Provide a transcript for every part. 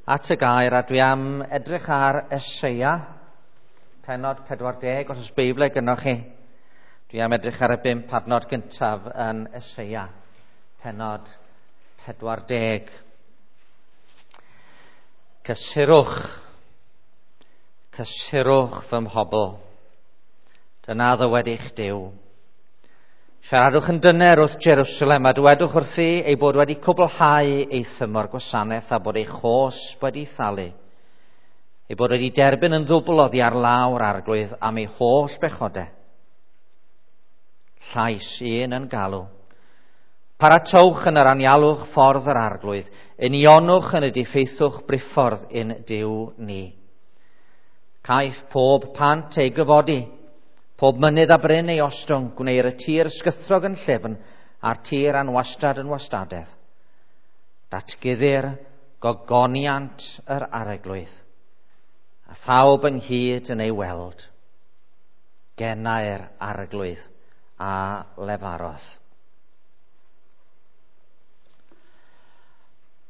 at y gair, a dwi am edrych ar Eseia, pennod 40, os oes Beibl gynnoch chi. Dwi am edrych ar y 5 adnod gyntaf yn Eseia, pennod 40. Cysurwch, cysurwch fy mhobl, dyna ddywed eich Duw. Siaradwch yn dyner wrth Jerusalem a dywedwch wrthi ei bod wedi cwblhau ei thymor gwasanaeth a bod ei chosb wedi thalu. Ei bod wedi derbyn yn ddwbl oddi ar lawr Arglwydd am ei holl bechodau. Llais un yn galw. Paratowch yn yr anialwch ffordd yr Arglwydd, unionwch yn y diffeithwch briffordd un Duw ni. Caiff pob pant ei gyfodi, pob mynydd a bryn ei ostwng, gwneir y tir ysgythrog yn llyfn a'r tir anwastad yn wastadedd. Datguddir gogoniant yr Arglwydd, a phawb ynghyd yn ei weld. Genau'r Arglwydd a lefarodd.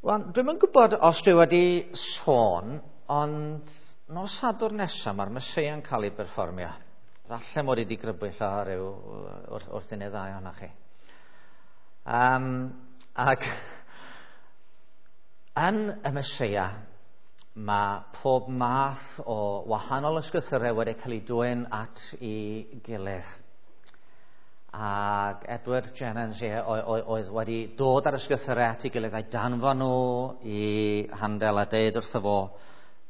Wel, dwi'm yn gwybod os dwi wedi sôn, ond nos Sadwrn nesaf mae'r Meseia'n cael ei berfformio. Falle mod i wedi grybwyll o ryw wrth un neu ddau ohonoch chi. Ac yn y Meseia, mae pob math o wahanol ysgrythurau wedi cael ei dwyn at ei gilydd. Ac Edward Jennens oedd wedi dod ar ysgrythurau at ei gilydd a'i danfon nhw i Handel a deud wrtho fo,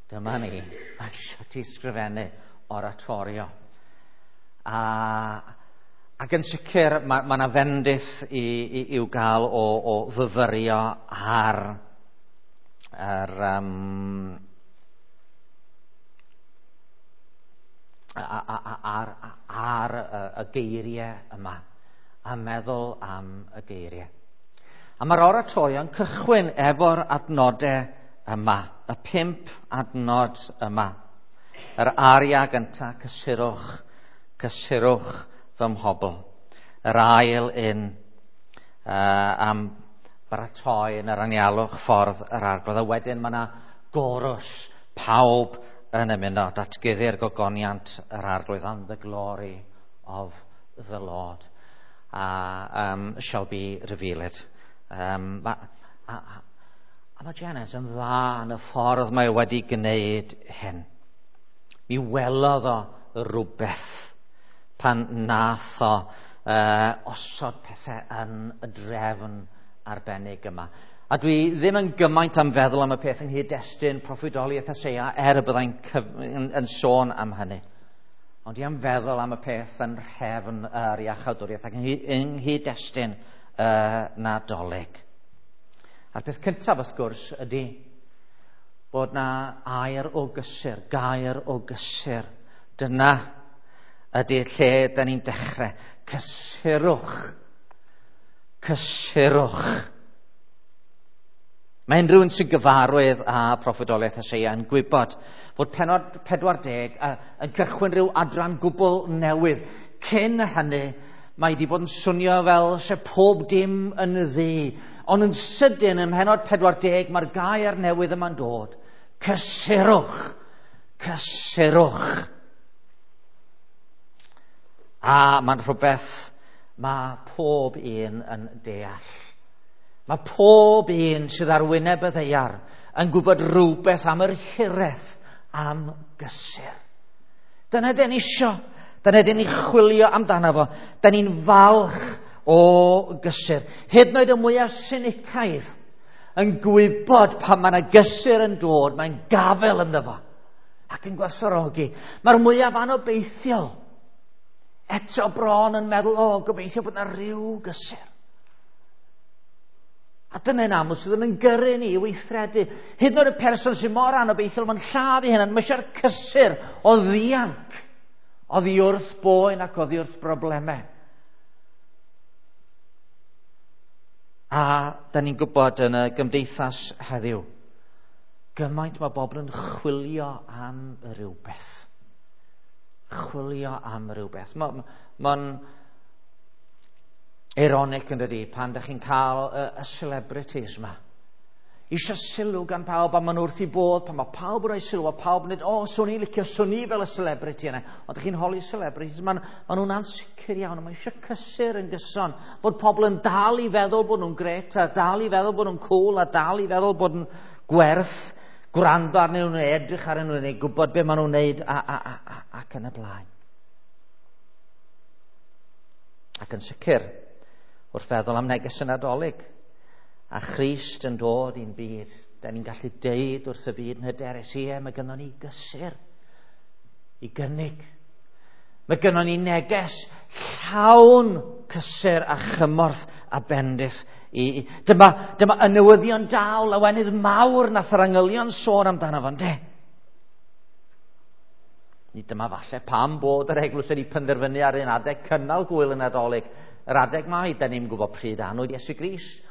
dyma ni, mae eisiau ti sgrifennu oratorio. Ac yn sicr mae yna fendith i'w gael o fyfyrio ar yr ar y geiriau yma, a meddwl am y geiriau. A mae'r oratorio'n cychwyn efo'r adnodau yma, y 5 adnod yma. Yr aria gyntaf, cysurwch, cysurwch fy mhobl. Yr ail un am baratoi yn yr anialwch ffordd yr Arglwydd. A wedyn mae yna gorws, pawb yn ymuno, datguddi'r gogoniant yr Arglwydd, and the glory of the Lord shall be revealed. A mae Jennens yn dda yn y ffordd mae wedi gwneud hyn. Mi welodd o rhywbeth pan nath o osod pethau yn y drefn arbennig yma. A dwi ddim yn gymaint am feddwl am y peth yng nghyd-destun proffwydoliaeth Eseia, er y byddai'n yn sôn am hynny. Ond dwi am feddwl am y peth yn rhefn yr iachawdwriaeth ac yng nghyd-destun y Nadolig. A'r peth cyntaf, wrth gwrs, ydy bod na air o gysur, gair o gysur. Dyna ydy lle da ni'n dechrau. Cysurwch. Cysurwch. Mae unrhyw un sy'n gyfarwydd â proffwydoliaeth Eseia yn gwybod fod pennod 40 yn cychwyn rhyw adran gwbl newydd. Cyn hynny, mae wedi bod yn swnio fel se pob dim yn ddu. Ond yn sydyn, ym mhennod 40, mae'r gair newydd yma'n dod. Cysurwch. Cysurwch. A mae'n rhywbeth mae pob un yn deall. Mae pob un sydd ar wyneb y ddaear yn gwybod rhywbeth am yr hiraeth am gysur. Dyna dyn ni isio. Dyna dyn ni chwilio amdano fo. Dyn ni'n falch o gysur. Hyd yn oed y mwyaf sinicaidd yn gwybod pan mae yna gysur yn dod, mae'n gafel ynddo fo ac yn gwerthfawrogi. Mae'r mwyaf anobeithiol eto bron yn meddwl, o, gobeithio bod yna rhyw gysur. A dyna'n aml sydd yn gyrru ni i weithredu. Hyd yn oed y person sy'n mor anobeithiol, mae'n lladd ei hunan, mae eisiau'r cysur o ddianc, oddi wrth boen ac oddi wrth broblemau. A da ni'n gwybod yn y gymdeithas heddiw, gymaint mae bobl yn chwilio am rhywbeth. Chwilio am rhywbeth. Mae'n ironic yn dydi, pan da chi'n cael y celebrities yma. Eisiau sylw gan pawb, a maen nhw wrth i bodd pan mae pawb yn rhoi sylw, a pawb yn dweud, o, swn i'n licio, swn i fel y celebrity yna. Ond ydych chi'n holi celebrities, maen ma nhw'n ansicr iawn, a mae eisiau cysur yn gyson, bod pobl yn dal i feddwl bod nhw'n gret, a dal i feddwl bod nhw'n cool, a dal i feddwl bod nhw'n gwerth gwrando arnyn nhw, neu edrych arnyn nhw, neu gwybod beth maen nhw'n neud, a, a, a, a, ac yn y blaen. Ac yn sicr, wrth feddwl am neges y Nadolig, a Christ yn dod i'n byd, da ni'n gallu deud wrth y byd yn hyderus, ie, mae gynnon ni gysur i gynnig. Mae gynnon ni neges llawn cysur a chymorth a bendith. I, dyma, dyma y newyddion da o lawenydd mawr nath yr angylion sôn amdano fo, ynde? Ni dyma falle pam bod yr eglwys wedi penderfynu ar un adeg cynnal gwyl y Nadolig. Yr adeg mai, da ni'n gwybod pryd anwyd Iesu Grist.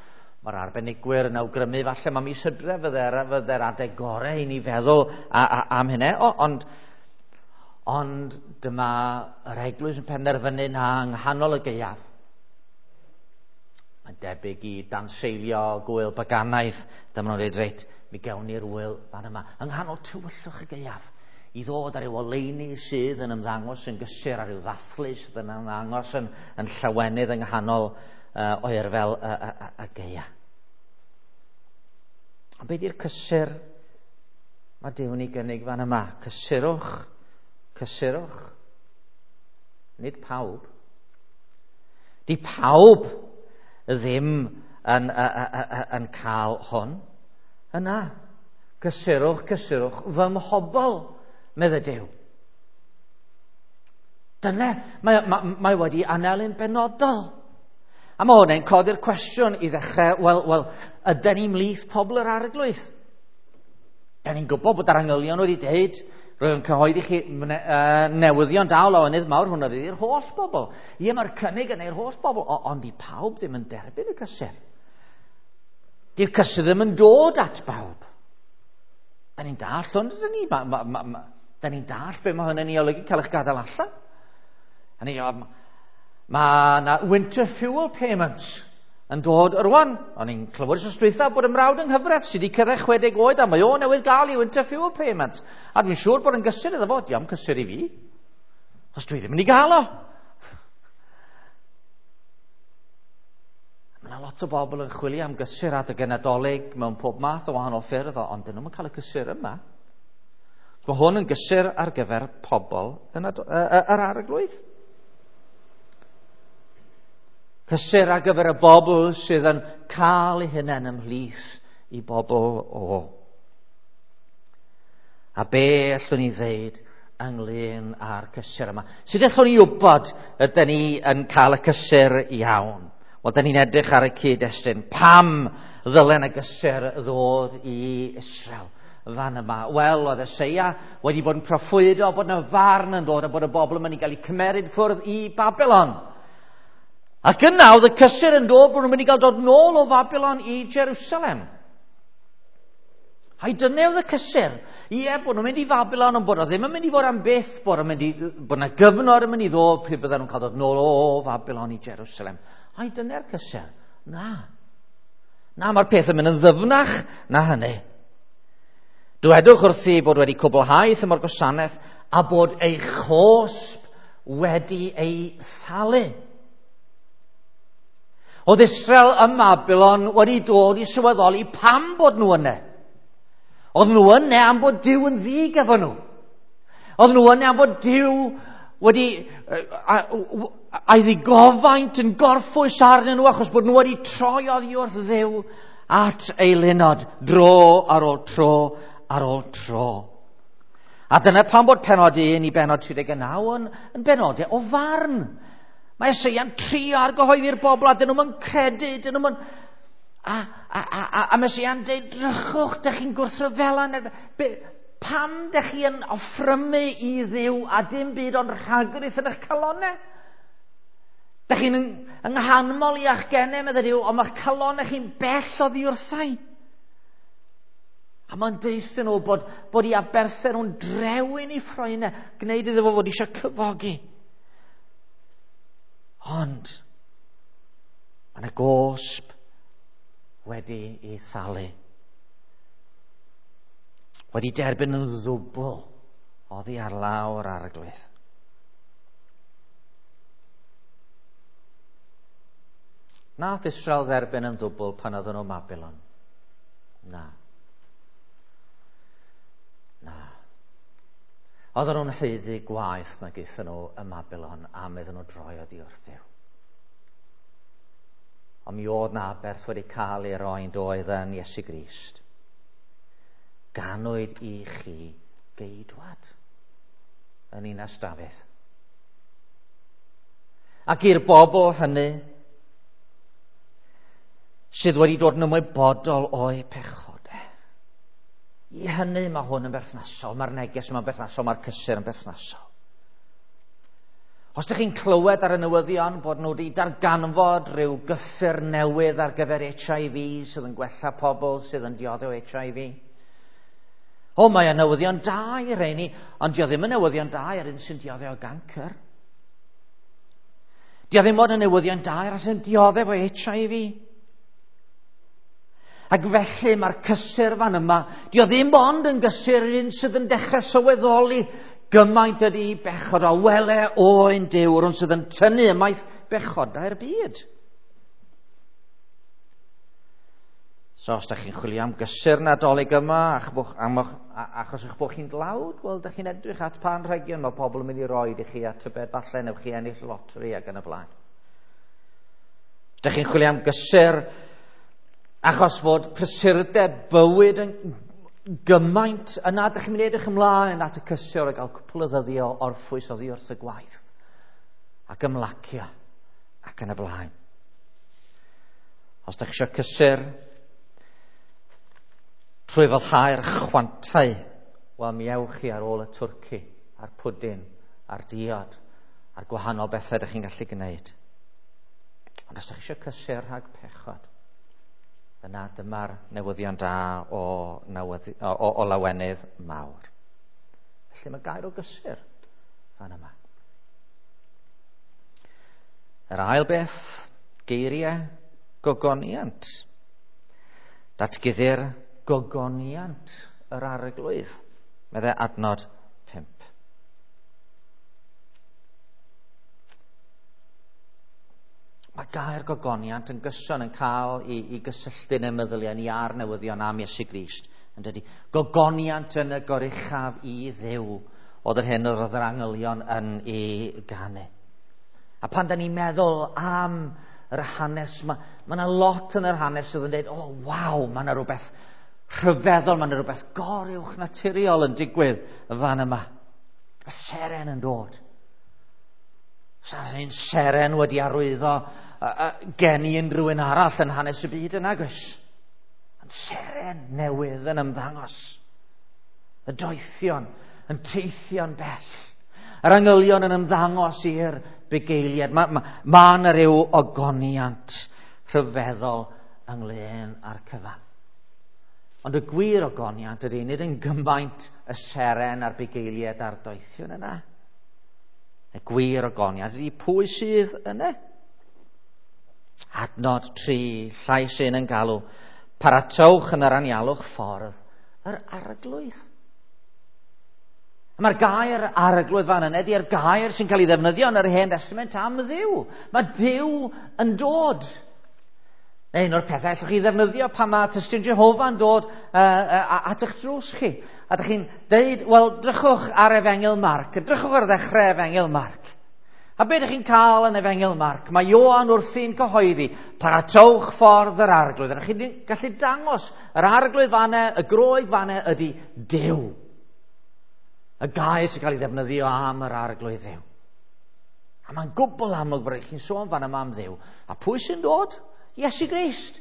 Mae'r arbenigwyr yn awgrymu falle mae mis Hydref fydde'r fydde adeg gorau i ni feddwl a, a, am hynny. O, ond, ond dyma yr eglwys yn penderfynu na yng nghanol y gaeaf. Mae'n debyg i danseilio gwyl baganaidd. Dyma nhw'n dweud, reit, mi gewn ni'r wyl fan yma. Yng nghanol tywyllwch y gaeaf i ddod ar ryw oleuni sydd yn ymddangos yn gysur, ar ryw ddathlu sydd yn ymddangos yn, yn llawenydd yng nghanol oerfel y, y, y, y gaea. Ond beth yw'r cysur mae Duw'n ei gynnig fan yma? Cysurwch, cysurwch. Nid pawb. Di pawb ddim yn, yn, yn cael hwn. Yna, cysurwch, cysurwch, fy mhobl, medde Duw. Dyna, mae, mae, mae wedi anelu'n benodol. A mae hwnna'n codi'r cwestiwn i ddechrau, wel, wel, ydyn ni mlith pobl yr arglwydd? Da ni'n gwybod bod yr angylion wedi dweud, rwy'n cyhoeddi chi newyddion da o lawenydd mawr, hwnna fydd i'r holl bobl. Ie, mae'r cynnig yna i'r holl bobl, ond i pawb ddim yn derbyn y cysur. Di'r cysur ddim yn dod at bawb. Da ni'n dall hwn, dyn ni? Ma, ma, ma, ma, da ni'n dall be mae hynny'n ei olygu cael eich gadael allan. A ni, mae yna winter fuel payments yn dod rwan. O'n i'n clywed wrth dwytha bod y mrawd yng nghyfraith sydd wedi cyrraedd 60 oed a mae o newydd gael ei winter fuel payment. A dwi'n siŵr bod yn gysur iddo fo. Diolch cysur i fi. Os dwi ddim yn ei gael o. Mae yna lot o bobl yn chwilio am gysur adeg y Nadolig mewn pob math o wahanol ffyrdd, ond dyn nhw'n cael y cysur yma. Mae hwn yn gysur ar gyfer pobl yn yr arglwydd. Cysur ar gyfer y bobl sydd yn cael eu hunain ymhlith i bobl o. A be allwn ni ddeud ynglyn â'r cysur yma? Sut allwn ni wybod ydyn ni yn cael y cysur iawn? Wel, dyn ni'n edrych ar y cyd-destun. Pam ddylen y gysur ddod i Israel fan yma? Wel, oedd Eseia wedi bod yn proffwydo bod yna farn yn dod a bod y bobl yn mynd i gael eu cymeryd ffwrdd i Babylon. Ac yna oedd y cysur yn dod bod nhw'n mynd i gael dod nôl o Babylon i Jerusalem. Ai dyna oedd y cysur. Ie, bod nhw'n mynd i Babylon, ond bod o ddim yn mynd i fod am byth, bod, mynd i, bod yna gyfnod yn mynd i ddod pryd bydden nhw'n cael dod nôl o Babylon i Jerusalem. Ai dyna'r cysur. Na. Na, mae'r peth yn mynd yn ddyfnach na hynny. Dwedwch wrthi bod wedi cwblhau thymor gwasanaeth a bod ei chosb wedi ei thalu. Oedd Israel ym Babylon wedi dod i sylweddoli pam bod nhw yna. Oedd nhw yna am bod Duw yn ddig efo nhw. Oedd nhw yna am bod Duw wedi a'i ddigofaint yn gorffwys arnyn nhw achos bod nhw wedi troi oddi wrth Dduw at eilunod dro ar ôl tro ar ôl tro. A dyna pam bod penod 1 i benod 39 yn, yn benodau o farn. Mae Eseia'n trio argyhoeddi'r bobl a dyn nhw'n credu, dyn nhw'n... A, a, a, a, a mae Eseia'n dweud, drychwch, dych chi'n gwrthryfela. Pam dych chi yn offrymu i Dduw a dim byd ond rhagrith yn eich calonau? Dych chi'n yng nghanmol i a'ch genau, meddai Duw, ond mae'ch calonau chi'n bell oddi wrthau. A mae'n deuthyn nhw bod, bod i aberthau nhw'n drewyn i ffroenau, gwneud iddo fo fod eisiau cyfogi. Ond, mae yna gosb wedi ei thalu. Wedi derbyn yn ddwbl oddi ar lawr Arglwydd. Nath Israel dderbyn yn ddwbl pan oedden nhw Babylon? Na. Na. Oedden nhw'n haeddu gwaeth nag aethon nhw ym Babylon am iddyn nhw droi oddi wrth Dduw. Ond mi oedd na aberth wedi cael ei roi'n doedd yn Iesu Grist. Ganwyd i chi geidwad yn Ninas Dafydd. Ac i'r bobl hynny sydd wedi dod yn ymwybodol o'u pechodau. I hynny mae hwn yn berthnasol, mae'r neges yma'n berthnasol, mae'r cysur yn berthnasol. Os ydych chi'n clywed ar y newyddion bod nhw wedi darganfod rhyw gyffur newydd ar gyfer HIV sydd yn gwella pobl sydd yn dioddef o HIV. O, mae y newyddion da i rheini, ond dio ddim yn newyddion da i'r un sy'n dioddef o gancr. Dio ddim ond yn newyddion da i'r un sy'n dioddef o HIV. Ac felly mae'r cysur fan yma, dio ddim ond yn gysur i'r un sydd yn dechrau sylweddoli gymaint ydy bechod o wele oen Duw, yr un sydd yn tynnu ymaith bechodau'r byd. So os da chi'n chwilio am gysur Nadolig yma, achos eich bod chi'n dlawd, wel, da chi'n edrych at pa anrhegion mae pobl yn mynd i roed i chi a tybed falle newch chi ennill loteri ac yn y blaen. Da chi'n chwilio am gysur achos fod prysurdeb bywyd yn gymaint, yna ydych chi'n mynd i edrych ymlaen at y cysur a gael cwpl o ddyddiau o orffwys oddi wrth y gwaith ac ymlacio ac yn y blaen. Os ydych chi eisiau cysur trwy foddhau'r chwantau, wel mi ewch chi ar ôl y twrci, a'r pwdin, a'r diod, a'r gwahanol bethau ydych chi'n gallu gwneud. Ond os ydych chi eisiau cysur rhag pechod, yna dyma'r newyddion da o lawenydd mawr. Felly mae gair o gysur fan yma. Yr ail beth, geiriau gogoniant. Datguddir gogoniant yr Arglwydd, meddai adnod 5. Mae gair gogoniant yn gyson yn cael i gysylltu yn y meddyliau ni a'r newyddion am Iesu Grist. Yn dydy, gogoniant yn y goruchaf i Dduw oedd yr hyn oedd yr angylion yn ei ganu. A pan da ni'n meddwl am yr hanes, mae yna lot yn yr hanes sydd yn dweud, o, oh, waw, mae yna rhywbeth rhyfeddol, mae yna rhywbeth goruwch naturiol yn digwydd fan yma. Y seren yn dod. Sa'n un seren wedi arwyddo gen i unrhyw un arall yn hanes y byd yn agos. Yn seren newydd yn ymddangos. Y doethion yn teithio'n bell. Yr angylion yn ymddangos i'r bugeiliad. Mae yna ryw ogoniant rhyfeddol ynglyn â'r cyfan. Ond y gwir ogoniant ydy nid yn gymaint y seren a'r bugeiliad a'r doethion yna. Y gwir ogoniant ydy pwy sydd yna. Adnod 3, llais un yn galw, paratowch yn yr anialwch ffordd yr Arglwydd. Mae'r gair Arglwydd fan yna ydy'r gair sy'n cael ei ddefnyddio yn yr Hen Testament am Dduw. Mae Duw yn dod. Neu un o'r pethau allwch chi ddefnyddio pan mae tystion Jehofa yn dod at eich drws chi. A ydych chi'n deud, wel, drychwch ar Efengyl Marc, drychwch ar ddechrau Efengyl Marc. A be ydych chi'n cael yn Efengyl Marc? Mae Ioan wrthi'n cyhoeddi, paratowch ffordd yr Arglwydd. Ydych chi'n gallu dangos yr Arglwydd fanna, y Groeg fanna ydy Duw. Y gair sy'n cael ei ddefnyddio am yr Arglwydd Dduw. A mae'n gwbl amlwg bod chi'n sôn fan yma am Dduw. A pwy sy'n dod? Iesu Grist.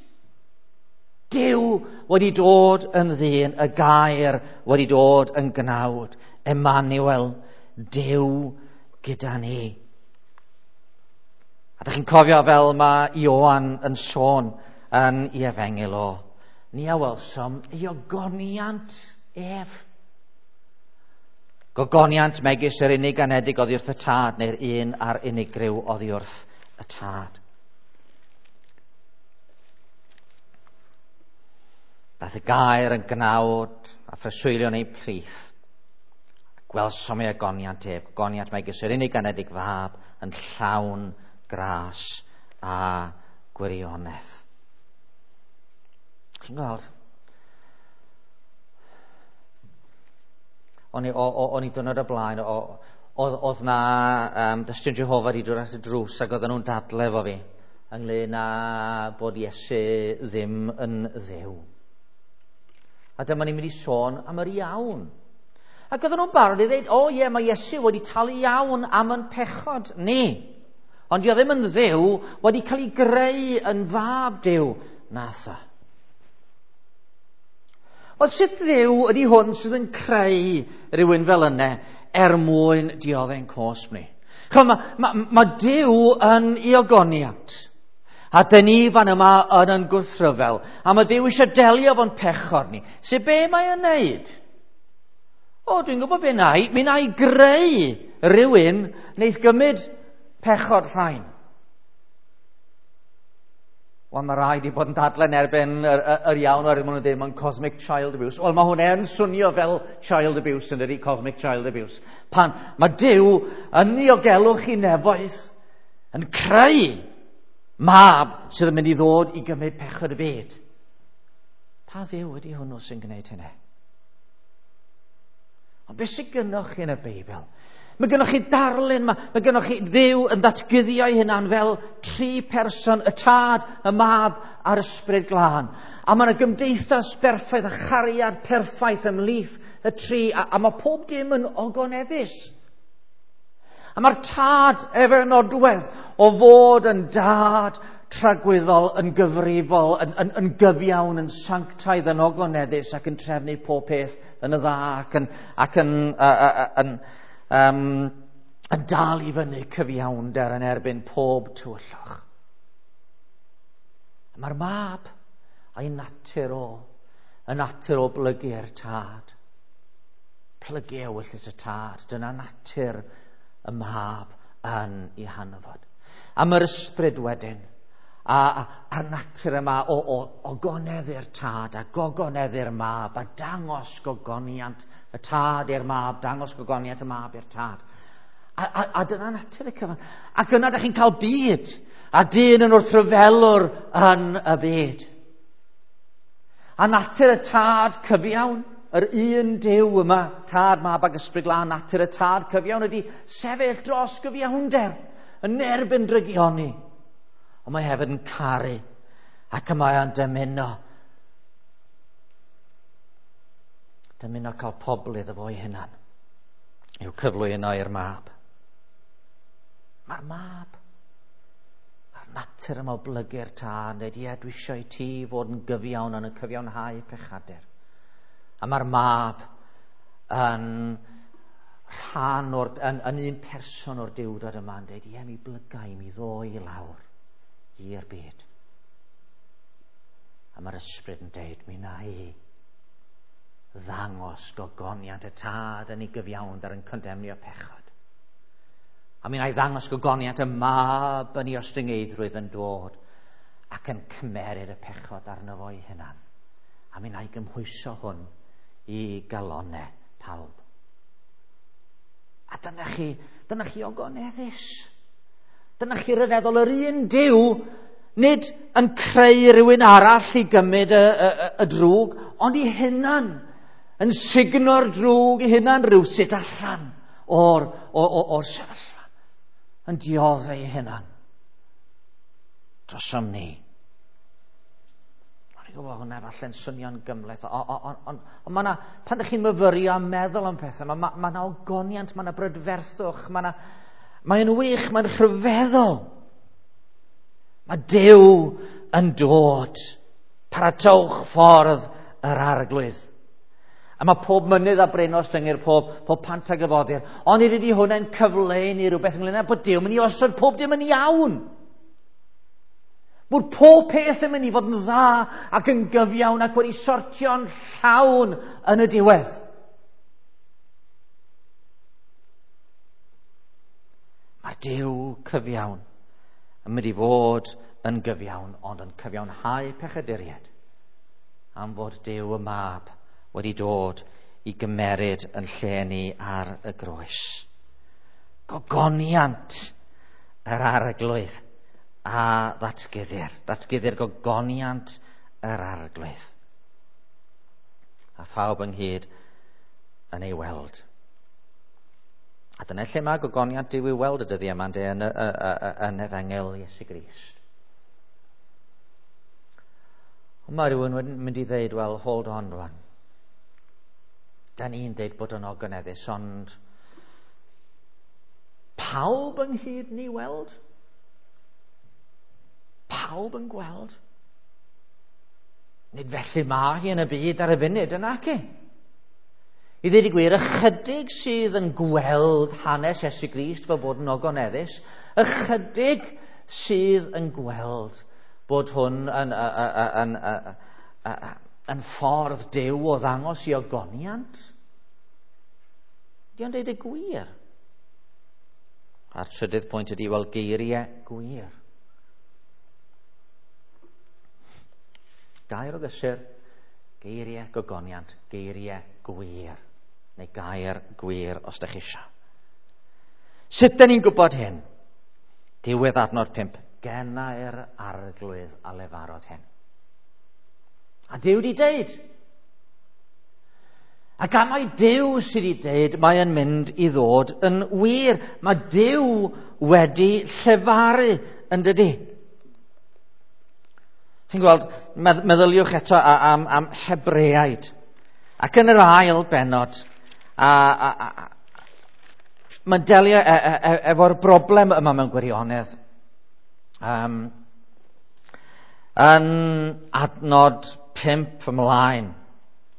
Duw wedi dod yn ddyn, y gair wedi dod yn gnawd. Emmanuel, Duw gyda ni. A dych chi'n cofio fel mae Ioan yn sôn yn ei efengyl o. Ni a welsom ei ogoniant ef. Gogoniant megis yr unig anedig oddi wrth y tad, neu'r un a'r unigryw oddi wrth y tad. Daeth y gair yn gnawd a phreswylio yn ein plith. Gwelsom ei ogoniant ef, gogoniant megis yr unig anedig fab yn llawn gras a gwirionedd. Chi'n gweld? O'n i, o'n i dwrnod o blaen, oedd na Dystion Jehofa wedi dod at y drws ac oedden nhw'n dadle efo fi ynglyn â bod Iesu ddim yn Dduw. A dyma ni'n mynd i sôn am yr iawn. Ac oedden nhw'n barod i ddweud, o ie, mae Iesu wedi talu iawn am yn pechod ni. Ond dio ddim yn Dduw, wedi cael ei greu yn fab Duw. Nasa. Wel, sut Dduw ydy hwn sydd yn creu rhywun fel yna er mwyn dioddau'n cosb ni? Ch'mo, mae Duw yn ei ogoniant. A dyn ni fan yma yn gwrthryfel. A mae Duw eisiau delio fo'n pechod ni. Sut be mae o'n neud? O, dwi'n gwybod be na i. Mi na i greu rhywun wneith gymryd pechod rhain. Wel, mae rhaid i bod yn dadlen erbyn yr iawn oherwydd maen nhw'n dweud mae'n cosmic child abuse. Wel, mae hwnna yn swnio fel child abuse yn dydi, cosmic child abuse. Pan mae Duw yn niogelwch i nefoedd yn creu mab sydd yn mynd i ddod i gymryd pechod y byd. Pa Dduw ydy hwnnw sy'n gwneud hynny? Ond beth sydd gynnoch chi yn y Beibl? Mae gynnoch chi darlun, mae gynnoch chi Dduw yn ddatguddio ei hunan fel tri person, y Tad, y Mab a'r Ysbryd Glân. A mae yna gymdeithas berffaith a chariad perffaith ymhlith y tri, a mae pob dim yn ogoneddus. A mae'r Tad efo'r nodwedd o fod yn dad tragwyddol, yn gyfrifol, yn gyfiawn, yn sanctaidd, yn ogoneddus ac yn trefnu pob peth yn y dda ac yn dal i fyny cyfiawnder yn erbyn pob tywyllwch. Mae'r Mab a'i natur o, y natur o blygu'r Tad. Plygu ewyllys y Tad, dyna natur y Mab yn ei hanfod. A mae'r Ysbryd wedyn, a'r natur yma o ogoneddu'r Tad a gogoneddu'r Mab a dangos gogoniant y Tad i'r Mab, dangos gogoniant y Mab i'r Tad. A dyna natur y cyfan. Ac yna ydych chi'n cael byd, a dyn yn wrthryfelwr yn y byd. A natur y Tad cyfiawn, yr un Duw yma, Tad, Mab ac Ysbryd Glân, natur y Tad cyfiawn ydy sefyll dros gyfiawnder yn erbyn drygioni. Ond mae hefyd yn caru ac y mae o'n dymuno. Dymuno cael pobl iddo fo ei hunan i'w cyflwyno i'r Mab. Mae'r Mab a'r natur yma o blygu'r Tad, dweud, ie, dwi eisiau i ti fod yn gyfiawn yn y cyfiawnhau pechadur. A mae'r Mab yn rhan o'r, yn un person o'r Duwdod yma yn dweud, ie, mi blyga i mi ddoi i lawr i'r byd. A mae'r Ysbryd yn dweud, mi na i ddangos gogoniant y Tad yn ei gyfiawnder yn condemnio pechod. A mi na i ddangos gogoniant y Mab yn ei ostyngeiddrwydd yn dod ac yn cymeryd y pechod arno fo ei hunan. A mi na i gymhwyso hwn i galonau pawb. A dyna chi ogoneddus. Dyna chi ryfeddol yr un Duw, nid yn creu rhywun arall i gymryd y drwg, ond i hunan, yn sugno'r drwg i hunan rhywsut allan o'r sefyllfa, yn dioddef ei hunan drosom ni. O'n i'n gwybod hwnna falle'n swnio'n gymhleth, ond mae yna, pan ydych chi'n myfyrio a meddwl am pethau, mae yna ogoniant, mae yna brydferthwch, mae'n wych, mae'n rhyfeddol. Mae Duw yn dod. Paratowch ffordd yr Arglwydd. A mae pob mynydd a bryn ostyngir, pob pant a gyfodir. Ond nid ydy hwnna'n cyfleu ni rhywbeth ynglyn â bod Duw yn mynd i osod pob dim yn iawn. Bod pob peth yn mynd i fod yn dda ac yn gyfiawn ac wedi sortio'n llawn yn y diwedd. Mae'r Duw cyfiawn yn mynd i fod yn gyfiawn, ond yn cyfiawnhau pechaduriaid Am fod Duw y Mab wedi dod i gymeryd yn lle ni ar y groes. Gogoniant yr Arglwydd a ddatguddir. Datguddir gogoniant yr Arglwydd. A phawb ynghyd yn ei weld. A dyna lle mae gogoniant Duw i'w weld y dyddiau yma, ynde, yn, yn Efengyl Iesu Grist. Ond mae rhywun yn mynd i ddeud, well, hold on rwan. Da ni'n deud bod yn ogoneddus, ond pawb ynghyd ni weld? Pawb yn gweld? Nid felly mae hi yn y byd ar y funud, yn ac? I ddweud y gwir, ychydig sydd yn gweld hanes Iesu Grist fel bod yn ogoneddus, ychydig sydd yn gweld bod hwn yn, yn, yn, yn ffordd Duw o ddangos i ogoniant. Di o'n deud y gwir? A'r trydydd pwynt ydy, wel, geiriau gwir. Gair o gysur, geiriau gogoniant, geiriau gwir. Neu gair gwir os ydych chi eisiau. Sut dyn ni'n gwybod hyn? Diwedd adnod 5. Gennau'r Arglwydd a lefarodd hyn. A Duw di deud. A gan mai Duw sydd wedi deud, mae yn mynd i ddod yn wir. Mae Duw wedi llefaru, yn dydy. Chi'n gweld, meddyliwch eto am, am Hebreaid. Ac yn yr ail benod, a, a, a, mae'n delio e, e, e, efo'r broblem yma mewn gwirionedd. Um, yn adnod 5 ymlaen,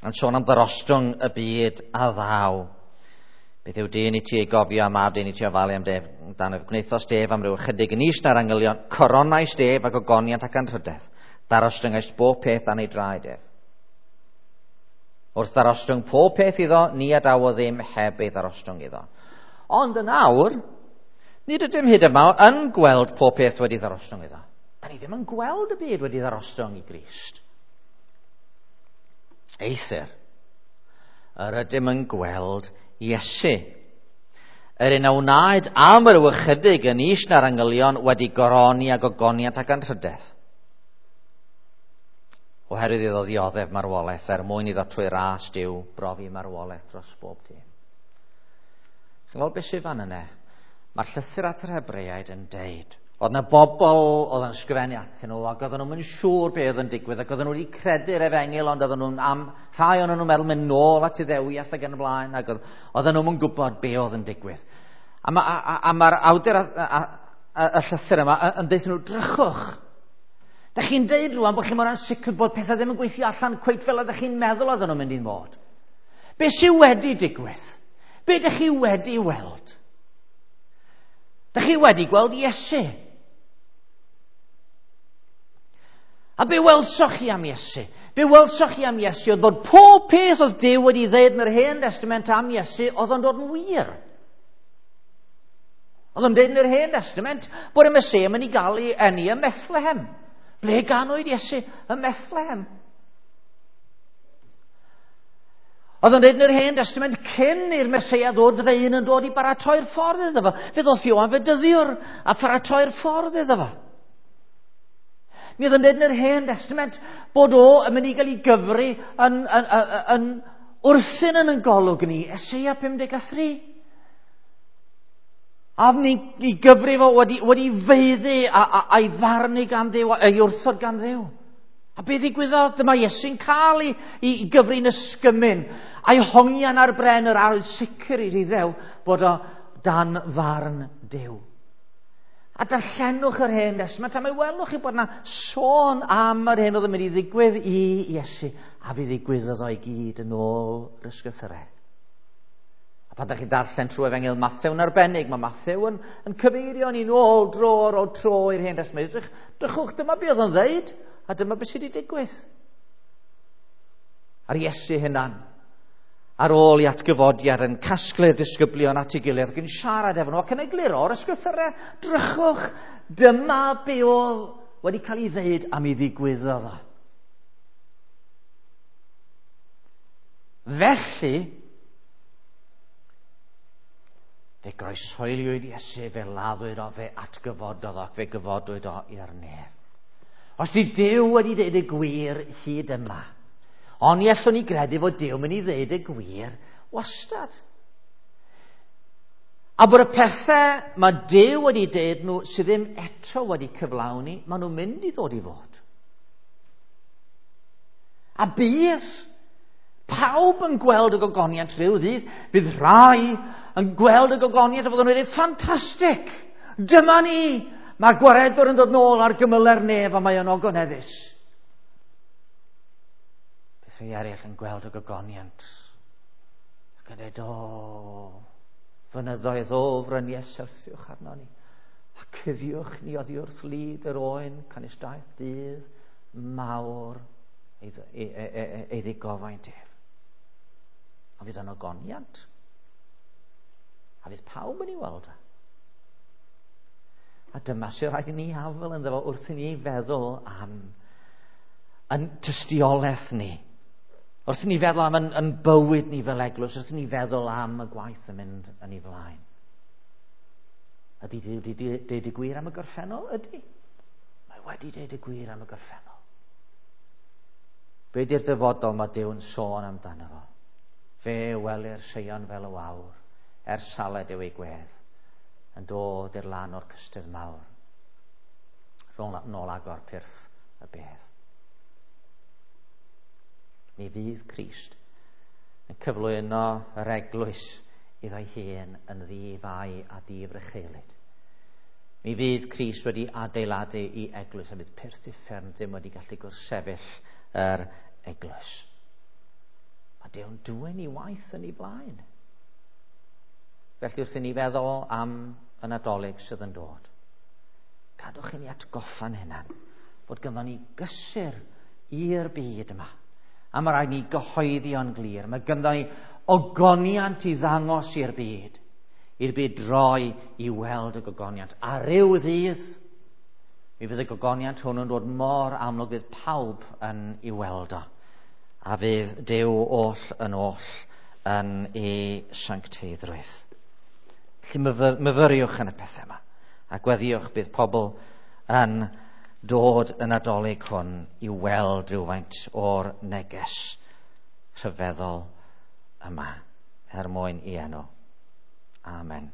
yn sôn am ddarostwng y byd a ddaw. Beth yw dyn i ti ei gofio a mab dyn i ti ofalu am def, dan ef gwnaethos def am ryw ychydig yn is na'r angylion, coronais def ac ogoniant ac anrhydedd, darostyngaist bob peth dan ei draed ef. Wrth ddarostwng pob peth iddo, ni adawodd ddim heb ei ddarostwng iddo. Ond yn awr, nid ydym hyd yma yn gweld pob peth wedi ddarostwng iddo. Da ni ddim yn gweld y byd wedi ddarostwng i Grist. Eithr, yr ydym yn gweld Iesu. Yr un a wnaed am yr ychydig yn is na'r angylion wedi goroni a gogoniant ac anrhydedd. Oherwydd iddo ddioddef marwolaeth er mwyn iddo trwy ras Duw brofi marwolaeth dros bob dyn. Chi'n gweld beth sydd fan yna? Mae'r llythyr at yr Hebreaid yn deud Oedd yna bobl oedd yn ysgrifennu atyn nhw ac oedden nhw'n siŵr beth oedd yn digwydd ac oedden nhw wedi credu'r efengyl ond oedden nhw'n am, rhai o'n nhw'n meddwl mynd nôl at Iddewiaeth ac yn y blaen ac oedden nhw'n gwybod be oedd yn digwydd. A, ma, a, a mae'r awdur a, a, a, y llythyr yma yn deud nhw, drychwch. Da chi'n deud rwan bod chi mor ansicr bod pethau ddim yn gweithio allan cweit fel oeddech chi'n meddwl oedden nhw'n mynd i'n fod. Be sydd wedi digwydd? Be ydych chi wedi weld? Dych chi wedi gweld Iesu. A be welsoch chi am Iesu? Be welsoch chi am Iesu oedd bod pob peth oedd Duw wedi ddeud yn yr Hen Testament am Iesu oedd o'n dod yn wir. Oedd o'n dweud yn yr Hen Testament bod y Meseia yn mynd i gael ei eni ym Methlehem. Ble ganwyd Iesu? Ym Methlehem. Oedd o'n dweud yn yr Hen Testament cyn i'r Meseia ddod, fydde un yn dod i baratoi'r ffordd iddo fo. Fe ddoth Ioan Fedyddiwr a pharatoi'r ffordd iddo fo. Mi oedd yn dweud yn yr Hen Testament bod o yn mynd i gael ei gyfri yn, yn, yn, yn wrthyn yn yn golwg ni, Eseia 53. A ni i gyfri fo wedi, wedi feiddi a, a, a'i farnu gan Dduw, a'i wrthod gan Dduw. A be ddigwyddodd? Dyma Iesu'n cael ei, i, i gyfri'n ysgymyn, a'i hongian ar bren yr arwydd sicr i'r Iddew bod o dan farn Duw. A darllenwch yr Hen Testament, a mae welwch chi bod yna sôn am yr hyn oedd yn mynd i ddigwydd i Iesu, a fe ddigwyddodd o i gyd yn ôl yr ysgrythurau. A pan ydych chi'n darllen trwy Efengyl Mathew yn arbennig, mae Mathew yn, yn cyfeirio ni'n ôl dro ar ôl tro i'r Hen Testament. Drych, drychwch, dyma be oedd yn ddeud, a dyma beth sydd wedi digwydd. A'r Iesu hunan, ar ôl i atgyfodiad yn casglu'r disgyblion at ei gilydd ac yn siarad efo nhw ac yn egluro'r ysgrythurau, drychwch, dyma be oedd wedi cael ei ddeud am ei ddigwyddodd o. Felly, fe groeshoeliwyd Iesu, fe laddwyd o, fe atgyfododd o, ac fe gyfodwyd o i'r nef. Os di Duw wedi dweud y gwir hyd yma, ond ni allwn ni gredu fod Duw mynd i ddeud y gwir wastad. A bod y pethau mae Duw wedi deud nhw sydd ddim eto wedi cyflawni, maen nhw'n mynd i ddod i fod. A bydd pawb yn gweld y gogoniant rhyw ddydd. Bydd rhai yn gweld y gogoniant a fydden nhw'n dweud, ffantastig! Dyma ni! Mae'r gwaredwr yn dod nôl ar gymyle'r nef a mae yn ogoneddus. Bydd rhai eraill yn gweld y gogoniant ac yn dweud, o, fynyddoedd, o, fryniau syrthiwch arno ni. A cuddiwch ni oddi wrth lid yr oen, canys daeth dydd mawr ei, ei, ei, ei, ei ddigofaint ef. A fydd yn ogoniant. A fydd pawb yn ei weld o. A dyma sy'n rhaid i ni afel ynddo fo wrth i ni feddwl am yn tystiolaeth ni. Wrth i ni feddwl am yn bywyd ni fel eglwys, wrth i ni feddwl am y gwaith yn mynd yn ei flaen. Ydy Duw wedi deud y gwir am y gorffennol? Ydy. Mae wedi deud y gwir am y gorffennol. Be di'r dyfodol mae Duw'n sôn amdano fo? Fe welir Seion fel y wawr, er saled yw ei gwedd, yn dod i'r lan o'r cystudd mawr. Rhwng nôl agor pyrth y bedd. Mi fydd Crist yn cyflwyno yr eglwys iddo'i hun yn ddi-fai a di-frycheulyd. Mi fydd Crist wedi adeiladu i eglwys a fydd pyrth uffern ddim wedi gallu gwrthsefyll yr eglwys. Mae Duw'n dwyn i waith yn ei flaen. Felly wrth i ni feddwl am y Nadolig sydd yn dod, gadwch i ni atgoffa'n hunan fod ganddo ni gysur i'r byd yma. A mae rhaid ni gyhoeddi o'n glir. Mae ganddo ni ogoniant i ddangos i'r byd. I'r byd droi i weld y gogoniant. A ryw ddydd, mi fydd y gogoniant hwn yn dod mor amlwg fydd pawb yn ei weld o. A fydd Duw oll yn oll yn ei sancteiddrwydd. Felly myfyriwch yn y pethau yma. A gweddiwch bydd pobl yn dod y Nadolig hwn i weld rhywfaint o'r neges rhyfeddol yma er mwyn i enw. Amen.